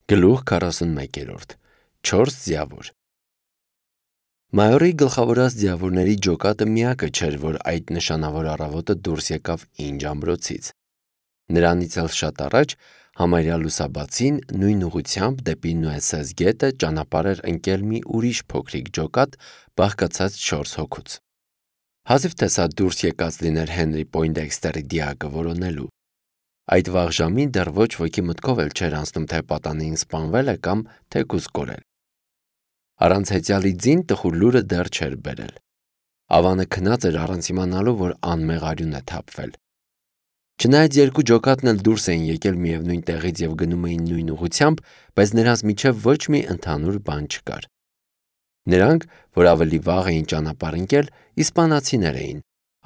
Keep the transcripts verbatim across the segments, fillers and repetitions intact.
Գլուխ քառասունմեկ. չորս ձիավոր։ Մայորի գլխավորած ձիավորների ջոկատը միակը չէր, որ այդ նշանավոր առավոտը դուրս եկավ Ինջ ամրոցից։ Նրանից էլ շատ առաջ համարյա լուսաբացին նույն ուղղությամբ դեպի Նուեսես գետը ճանապարհ էր ընկել մի ուրիշ փոքրիկ ջոկատ, բաղկացած չորս հոգուց։ Հազիվ թե սա դուրս եկած լիներ Հենրի Պոյնդեքստերի դիակը որոնելու։ Այդ վաղ ժամին դեռ ոչ ոքի մտքով էլ չէր անցնում, թե պատանին սպանվել է կամ թեկուզ կորել։ Առանց հեծյալի ձին տխուր լուրը դեռ չէր բերել։ Ավանը քնած էր առանց իմանալու, որ անմեղ արյուն է թափվել։ Չնայած երկու ջոկատն էլ դուրս էին եկել միևնույն տեղից եւ գնում էին նույն ուղղությամբ, բայց նրանց միջև ոչ մի ընդհանուր բան չկար։ Նրանք, որ ավելի վաղ էին ճանապարհ ընկել, իսպանացիներ էին,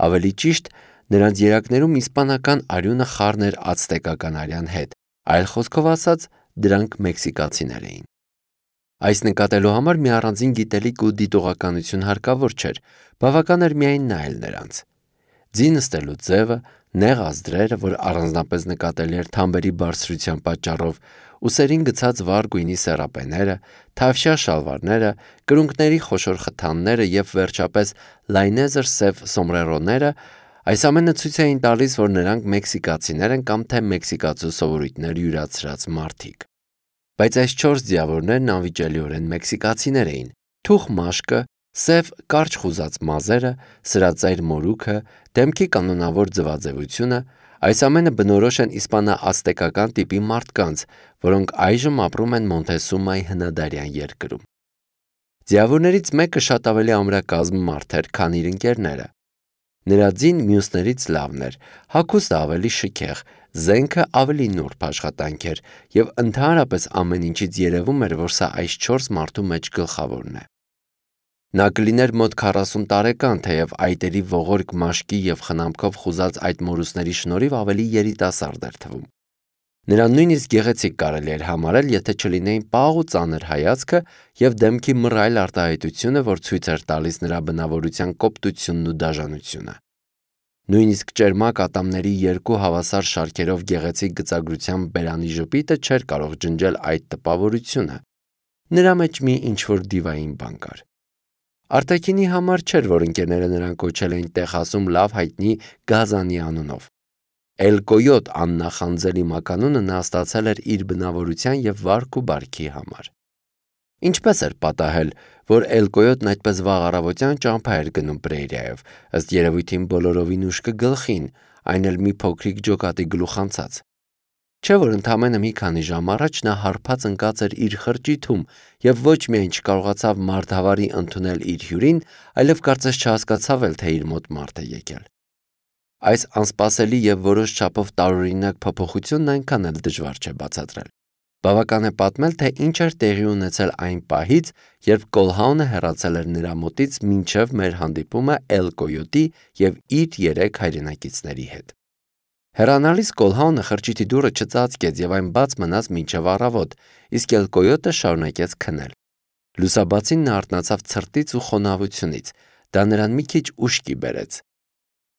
ավելի ճիշտ, նրանց երակներում իսպանական արյունը խառն էր ացտեկական արյան հետ, այլ խոսքով ասած, դրանք մեքսիկացիներ էին։ Այս նկատելու համար մի առանձին գիտելիք ու դիտողականություն հարկավոր չէր, բավական էր միայն նայել նրանց։ Ձի նստելու ձևը, նեղ ազդրերը, որ առանձնապես նկատելի էր թամբերի բարձրության պատճառով, ուսերին գցած վառ գույնի սեռապեները, թավշյա շալվարները, կրունկների խոշոր խթանները եւ վերջապես լայնեզր սև սոմբրերոները, այս ամենը ցույց էին տալիս, որ նրանք մեքսիկացիներ են կամ թե մեքսիկացու սովորույթներ յուրացրած մարդիկ։ Բայց այս չորս ձիավորներն անվիճելիորեն մեքսիկացիներ էին։ Թուխ մաշկը, սև կարճ խուզած մազերը, սրածայր մորուքը, դեմքի կանոնավոր ձվաձևությունը, այս ամենը բնորոշ են իսպանա-ացտեկական տիպի մարդկանց, որոնք այժմ ապրում են Մոնտեսումայի հնադարյան երկրում։ Ձիավորներից մեկը շատ ավելի ամրակազմ մարդ էր, քան իր ընկերները։ Նրա ձին մյուսներից լավն էր, հագուստը ավելի շքեղ, զենքը ավելի նուրբ աշխատանք էր եւ ընդհանրապես ամեն ինչից երևում էր, որ սա այս չորս մարդու մեջ գլխավորն է։ Նա կլիներ մոտ քառասուն տարեկան, թեև այտերի ողորկ մաշկի եւ խնամքով խուզած այդ մորուսների շնորհիվ ավելի երիտասարդ էր թվում։ Նրան նույնիսկ գեղեցիկ կարելի էր համարել, եթե չլինեին պաղ ու ծանր հայացքը եւ դեմքի մռայլ արտահայտությունը, որ ցույց էր տալիս նրա բնավորության կոպտությունն ու դաժանությունը։ Նույնիսկ ճերմակ ատամների երկու հավասար շարքերով գեղեցիկ գծագրությամբ բերանի ժպիտը չէր կարող ջնջել այդ տպավորությունը։ Նրա մեջ մի ինչ-որ դիվային բան կար։ Արտաքինի համար չէր, որ ընկերները նրան կոչել էին Տեխասում լավ հայտնի Գազանի անունով։ Էլ Կոյոտ աննախանձելի մականունը նա ստացել էր իր բնավորության եւ վարք ու բարքի համար։ Ինչպես էր պատահել, որ Էլ Կոյոտն այդպես վաղ առավոտյան ճամփա էր գնում Պրեյրիայով, ըստ երևույթին բոլորովին ուշքը գլխին, այն էլ մի փոքրիկ ջոկատի գլուխ անցած։ Չէ՞ որ ընդամենը մի քանի ժամ առաջ նա հարբած ընկած էր իր խրճիթում եւ ոչ միայն չկարողացավ մարդավարի ընդունել իր հյուրին, այլև կարծես չհասկացավ էլ, թե իր մոտ մարդ է եկել։ Այս անսպասելի եւ որոշ չափով տարօրինակ փոփոխությունն այնքան էլ դժվար չէ բացատրել։ Բավական է պատմել, թե ինչ էր տեղի ունեցել այն պահից, երբ Կոլհաունը հեռացել էր նրա մոտից մինչև մեր հանդիպումը Էլ Կոյոտի եւ իր երեք հայրենակիցների հետ։ Հեռանալիս Կոլհաունը խրճիթի դուռը չծածկեց եւ այն բաց մնաց մինչև առավոտ, իսկ Էլ Կոյոտը շարունակեց քնել։ Լուսաբացին նա արթնացավ ցրտից ու խոնավությունից, դա նրան մի քիչ ուշքի բերեց։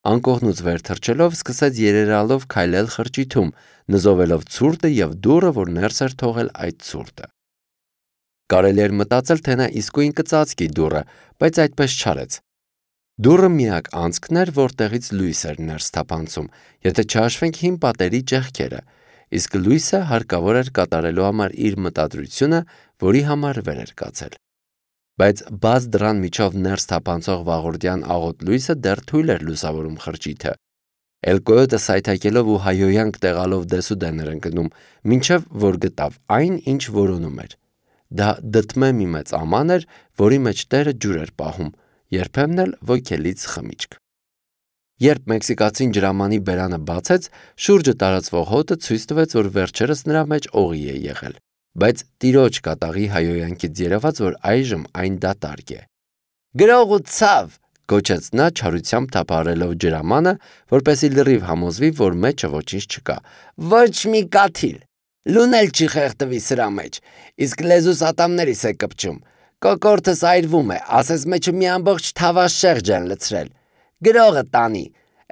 Անկողնուց վեր թռչելով սկսեց երերալով քայլել խրճիթում, նզովելով ցուրտը եւ դուռը, որ ներս էր թողել այդ ցուրտը։ Կարելի էր մտածել, թե նա իսկույն կծածկի դուռը, բայց այդպես չարեց։ Դուռը միակ անցքն էր, որտեղից լույս էր ներս թափանցում, եթե չհաշվենք հին պատերի ճեղքերը, իսկ լույսը հարկավոր էր կատարելու համար իր մտադրությունը, որի համար վեր էր կացել։ Բայց բաց դռան միջով ներս թափանցող վաղորդյան աղոտ լույսը դեռ թույլ էր լուսավորում խրճիթը։ Էլ Կոյոտը սայթաքելով ու հայոյանք տեղալով դեսուդեն էր ընկնում, մինչև որ գտավ այն, ինչ որոնում էր։ Դա դդմե մի մեծ աման էր, որի մեջ տերը ջուր էր պահում, երբեմն էլ ոգելից խմիչք։ Երբ մեքսիկացին ջրամանի բերանը բացեց, շուրջը տարածվող հոտը ցույց տվեց, որ վերջերս նրա մեջ օղի է եղել, բայց տիրոջ կատաղի հայոյանքից երևաց, որ այժմ այն դատարկ է։ Գրող ու ցավ, գոչեց նա չարությամբ թափահարելով ջրամանը, որպեսզի լրիվ համոզվի, որ մեջը ոչինչ չկա։ Ոչ մի կաթիլ։ Լուն էլ չի խեղդվի սրա մեջ, իսկ լեզուս ատամներիս է կպչում։ Կոկորտս այրվում է, ասես մեջը մի ամբողջ թավաշեղջ են լցրել։ Գրողը տանի,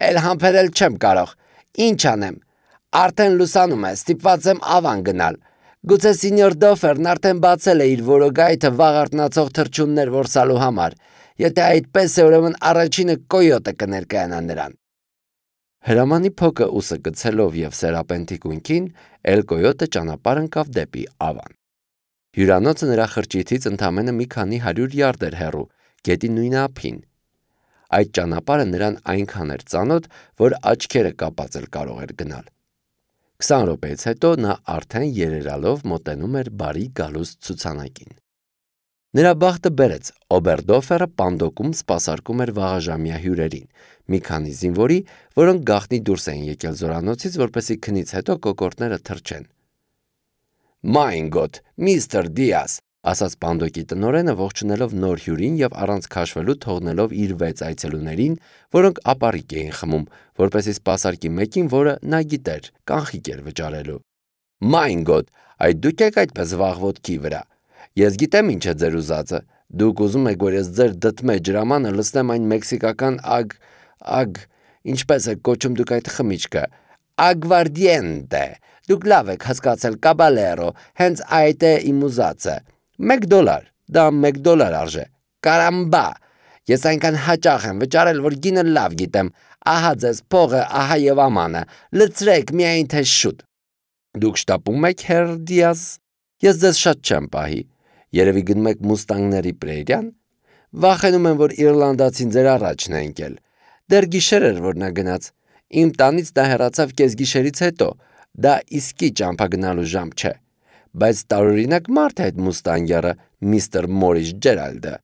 էլ համբերել չեմ կարող։ Ինչ անեմ։ Արդեն լուսանում է, ստիպված եմ ավան գնալ։ Գուցե սինյոր Դոֆերն արդեն բացել է իր որոգայթը վաղ արթնացող թռչուններ որսալու համար։ Եթե այդպես է, ուրեմն առաջինը կոյոտը կներկայանա նրան։ Հրամանի փոքը ուսը գցելով եւ սերապենտի կույնքին, Էլ կոյոտը ճանապարհ ընկավ դեպի Ավան։ Հյուրանոցը նրա խրճիթից ընդամենը մի քանի հարյուր յարդ էր հեռու, գետի նույն ափին։ Այդ ճանապարհը նրան այնքան էր ծանոթ, որ աչքերը կապած էլ կարող էր գնալ։ Քսան րոպեից հետո նա արդեն երերալով մոտենում էր բարի գալուստ ցուցանակին։ Նրա բախտը բերեց, Օբերդոֆերը պանդոկում սպասարկում էր վաղաժամյա հյուրերին, մի քանի զինվորի, որոնք գաղտնի դուրս էին եկել զորանոցից, որպեսզի քնից հետո կոկորդները թռչեն։ «Մայն գոդ, միստր Դիաս», ասաց պանդոկի տնօրենը, ողջունելով նոր հյուրին եւ առանց քաշվելու թողնելով իր վեց այցելուներին, որոնք ապառիկ էին խմում, որպեսզի սպասարկի մեկին, որը նա գիտեր, կանխիկ էր վճարելու։ «Մայն գոդ, այդ դուք եք այդպես վաղ ոտքի վրա։ Ես գիտեմ ինչ է ձեր ուզածը։ Դուք ուզում եք, որ ես ձեր դդմե ջրամանը լցնեմ այն մեքսիկական ագ... ագ... ինչպես եք կոչում դուք այդ խմիչքը։ Ագվարդիենտե։ Դուք լավ եք հասկացել, կաբալերո, հենց այդ է իմ ուզածը։ Մեկ դոլար, դա մեկ դոլար արժե։ Կարամբա։ Ես այնքան հաճախ եմ վճարել, որ գինը լավ գիտեմ։ Ահա ձեզ փողը, ահա եւ ամանը։ Լցրեք միայն թե շուտ։ Դուք շտապում եք, հեր Դիաս։ Ես ձեզ շատ չեմ պահի։ Երևի գնում եք մուստանգների պրերիան։ Վախենում եմ, որ իռլանդացին ձեր առաջն է ընկել։ Դեռ գիշեր էր, որ նա գնաց։ Իմ տանից նա հեռացավ կեսգիշերից հետո։ Դա իսկի ճամփա գնալու ժամ չէ։ Բայց տարօրինակ մարդ է այդ մուստանգյարը, միստր Մորիս Ջերալդը։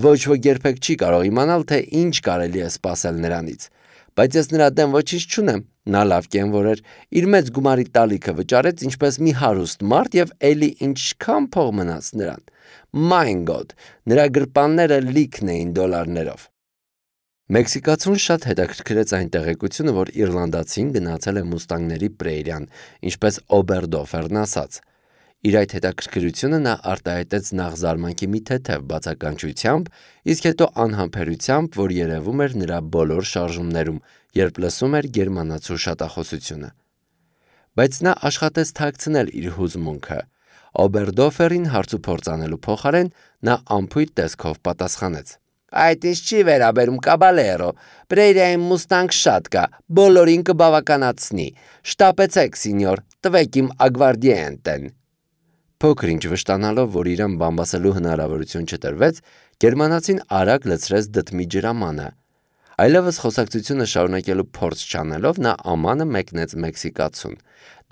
Ոչ ոք երբեք չի կարող իմանալ, թե ինչ կարելի է սպասել նրանից։ Բայց ես նրա դեմ ոչինչ չունեմ։ Նա լավ կենվոր էր, իր մեծ գումարի տալիքը վճարեց ինչպես մի հարուստ մարդ եւ էլի ինչքան փող մնաց նրան։ Մայն գոդ, նրա գրպանները լիքն էին դոլարներով։ Մեքսիկացուն շատ հետաքրքրեց այն տեղեկությունը, որ իռլանդացին գնացել է մուստանգների պրերիան, ինչպես Օբերդոֆերն ասաց։ Իր այդ հետաքրքրությունը նա արտահայտեց նախ զարմանքի մի թեթև բացականչությամբ, իսկ հետո անհամբերությամբ, որ երևում էր նրա բոլոր շարժումներում, երբ լսում էր գերմանացու շատախոսությունը։ Բայց նա աշխատեց թաքցնել իր հուզմունքը։ Օբերդոֆերին հարցուփորձ անելու փոխարեն նա անփույթ տեսքով պատասխանեց. Այդ ինչ չի վերաբերում, կաբալերո, պրերիայում մուստանգ շատ կա, բոլորին կբավականացնի։ Շտապեցեք, սինյոր, տվեք իմ ագվարդիենտեն։ Փոքր ինչ վշտանալով, որ իրան բամբասելու հնարավորություն չտրվեց, գերմանացին արագ լցրեց դդմի ջրամանը։ Այլևս խոսակցությունը շարունակելու փորձ չանելով, նա ամանը մեկնեց մեքսիկացուն,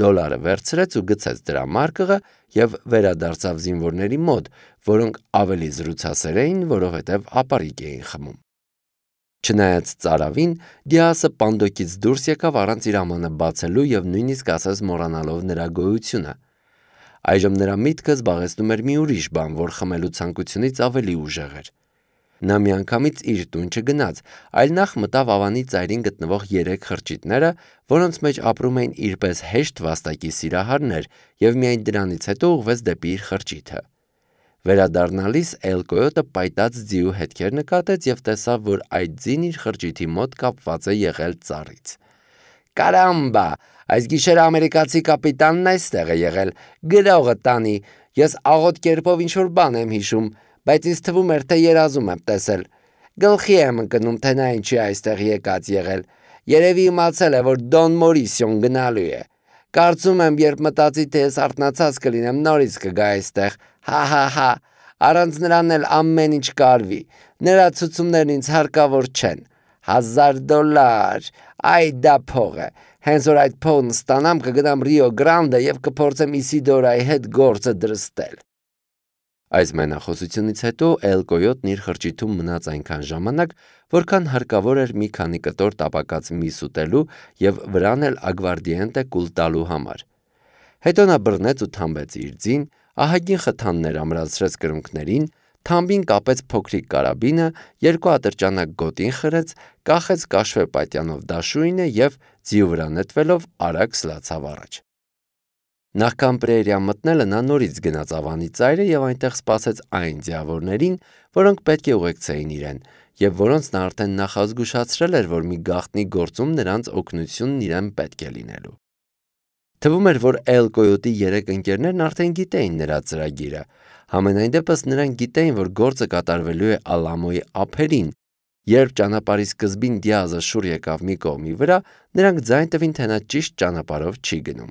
դոլարը վերցրեց ու գցեց դրա մարկղը եւ վերադարձավ զինվորների մոտ, որոնք ավելի զրուցասեր էին, որովհետեւ ապառիկ էին խմում։ Չնայած ծարավին, Դիասը պանդոկից դուրս եկավ առանց իր ամանը բացելու եւ նույնիսկ ասես մոռանալով նրա գոյությունը։ Այժմ նրա միտքը զբաղեցնում էր մի ուրիշ բան, որ խմելու ցանկությունից ավելի ուժեղ էր։ Նա միանգամից իր տուն չգնաց, այլ նախ մտավ Ավանի ծայրին գտնվող երեք խրճիթները, որոնց մեջ ապրում էին իրպես հեշտ վաստակի սիրահարներ, եւ միայն դրանից հետո ուղղվեց դեպի իր խրճիթը։ Վերադառնալիս Էլ կոյոտը պայտած ձիու հետքեր նկատեց եւ տեսավ, որ այդ ձին իր խրճիթի մոտ կապված է եղել ծառից։ Կարամբա, այս գիշերը ամերիկացի կապիտանն այստեղ է եղել, գրողը տանի, ես աղոտ կերպով ինչ-որ բան եմ հիշում, բայց ինձ թվում էր, թե երազում եմ տեսել։ Գլխի եմ ընկնում, թե նա ինչի այստեղ եկած եղել։ Երևի իմացել է, որ Դոն Մորիսիոն գնալու է։ Կարծում եմ, երբ մտածի, թե ես արթնացած կլինեմ, նորից կգա այստեղ։ Հա-հա-հա, առանց նրան էլ ամեն ինչ կարվի։ Նրա ցուցումներն ինձ հարկավոր չեն։ Հազար դոլար, այ դա փող է։ Հենց որ այդ փողն ստանամ, կգնամ Ռիո Գրանդե եւ կփորձեմ Իսիդորայի հետ գործը դրստել։ Այս մենախոսությունից հետո Էլ կոյոտն իր խրճիթում մնաց այնքան ժամանակ, որքան հարկավոր էր մի քանի կտոր տապակած միս ուտելու եւ վրան էլ ագվարդիենտե կուլ տալու համար։ Հետո նա բռնեց ու թամբեց իր ձին, ահագին խթաններ ամրացրեց կրունկներին, թամբին կապեց փոքրիկ կարաբինը, երկու ատրճանակ գոտին խրեց, կախեց կաշվե պատյանով դաշույնը եւ ձիու վրա նետվելով արագ սլացավ առաջ։ Նախքան պրերիա մտնելը նա նորից գնաց Ավանի ծայրը եւ այնտեղ սպասեց այն ձիավորներին, որոնք պետք է ուղեկցեին իրեն, եւ որոնց նա արդեն նախազգուշացրել էր, որ մի գաղտնի գործում նրանց օգնությունն իրեն պետք է լինելու։ Թվում էր, որ Էլ Կոյոտի երեք ընկերներն արդեն գիտեին նրա ծրագիրը։ Համենայն դեպս նրանք գիտեին, որ գործը կատարվելու է Ալամոյի ափերին։ Երբ ճանապարհի սկզբին Դիազը շուռ եկավ մի կողմի վրա, նրանք ձայն տվին, թե նա ճիշտ ճանապարհով չի գնում։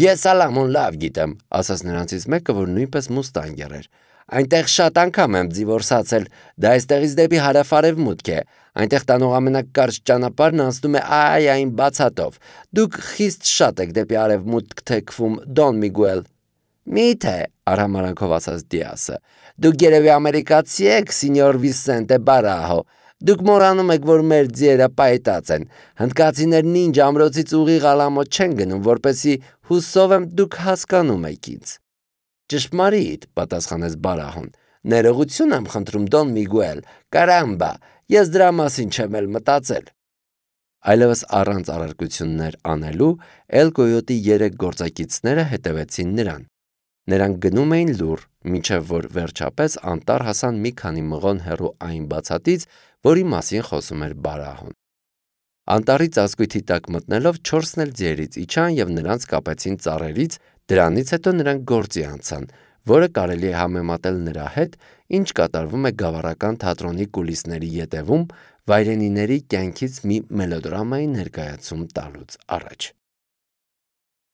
«Ես Ալամոն լավ գիտեմ», ասաց նրանցից մեկը, որ նույնպես մուստանգեր էր։ «Այնտեղ շատ անգամ եմ ձիվորսացել, դա այստեղից դեպի հարավ-արևմուտք է։ Այնտեղ տանող ամենակարճ ճանապարհն անցնում է այ այն բացատով։ Դուք խիստ շատ եք դեպի արևմուտք թեքվում, Դոն Միգուել»։ «Մի՞թե», արհամարանքով ասաց Դիասը։ «Դուք երևի ամերիկացի եք, Սինյոր Վիսենտե Բարահո։ Դուք մոռանում եք, որ մեր ձիերը պայտած են։ Հնդկացիներն ինչ ամրոցից ուղիղ Ալամո չեն գնում, որպեսզի հուսով եմ դուք հասկանում եք ինձ»։ «Ճշմարիտ», պատասխանեց Բարահոն։ «Ներողություն եմ խնդրում, Դոն Միգուել, կարամբա, ես դրա մասին չեմ էլ մտածել»։ Այլևս առանց առարկություններ անելու Էլ Կոյոտի երեք գործակիցները հետևեցին նրան։ Նրանք գնում էին լուռ, մինչև որ վերջապես անտառ հասան մի քանի մղոն հեռու այն բացատից, որի մասին խոսում էր Բարահոն։ Անտառի ծածկույթի տակ մտնելով չորսն էլ ձիերից իջան և նրանց կապեցին ծառերից, դրանից հետո նրանք գործի անցան, որը կարելի է համեմատել նրա հետ, ինչ կատարվում է գավառական թատրոնի կուլիսների ետևում, վայրենիների կյանքից մի մելոդրամայի ներկայացում տալուց առաջ։